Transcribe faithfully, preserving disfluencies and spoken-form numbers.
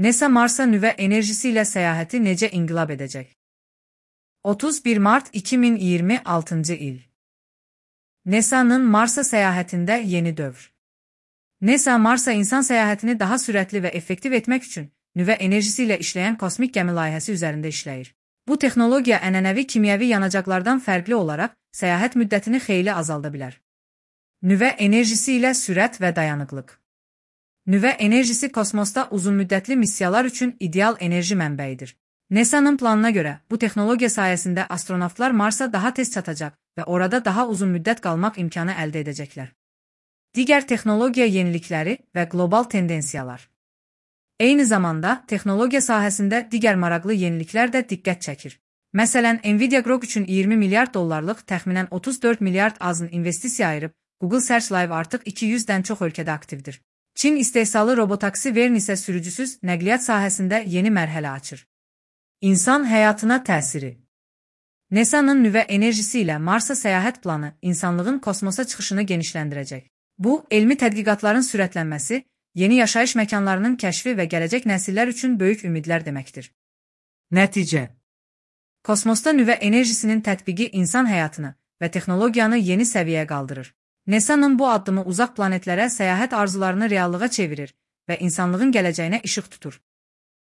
NASA Mars'a nüvə enerjisi ilə səyahəti necə inqilab edəcək? otuz bir mart iki min iyirmi altıncı il. NASA'nın Mars'a səyahətində yeni dövr. NASA Mars'a insan səyahətini daha sürətli və effektiv etmək üçün nüvə enerjisi ilə işləyən kosmik gəmi layihəsi üzərində işləyir. Bu texnologiya ənənəvi kimyəvi yanacaqlardan fərqli olaraq səyahət müddətini xeyli azalda bilər. Nüvə enerjisi ilə sürət və dayanıqlıq. Nüvə enerjisi kosmosda uzunmüddətli missiyalar üçün ideal enerji mənbəyidir. NASA'nın planına görə bu texnologiya sayəsində astronavtlar Mars'a daha tez çatacaq və orada daha uzun müddət qalmaq imkanı əldə edəcəklər. Digər texnologiya yenilikləri və qlobal tendensiyalar. Eyni zamanda texnologiya sahəsində digər maraqlı yeniliklər də diqqət çəkir. Məsələn, Nvidia Grok üçün iyirmi milyard dollarlıq təxminən otuz dörd milyard azın investisiya ayırıb, Google Search Live artıq iki yüzdən çox ölkədə aktivdir. Çin istehsalı robotaksi Verne isə sürücüsüz nəqliyyat sahəsində yeni mərhələ açır. İnsan həyatına təsiri. NASA'nın nüvə enerjisi ilə Mars'a səyahət planı insanlığın kosmosa çıxışını genişləndirəcək. Bu, elmi tədqiqatların sürətlənməsi, yeni yaşayış məkanlarının kəşfi və gələcək nəsillər üçün böyük ümidlər deməkdir. Nəticə. Kosmosda nüvə enerjisinin tətbiqi insan həyatını və texnologiyanı yeni səviyyəyə qaldırır. NASA'nın bu addımı uzaq planetlərə səyahət arzularını reallığa çevirir və insanlığın gələcəyinə işıq tutur.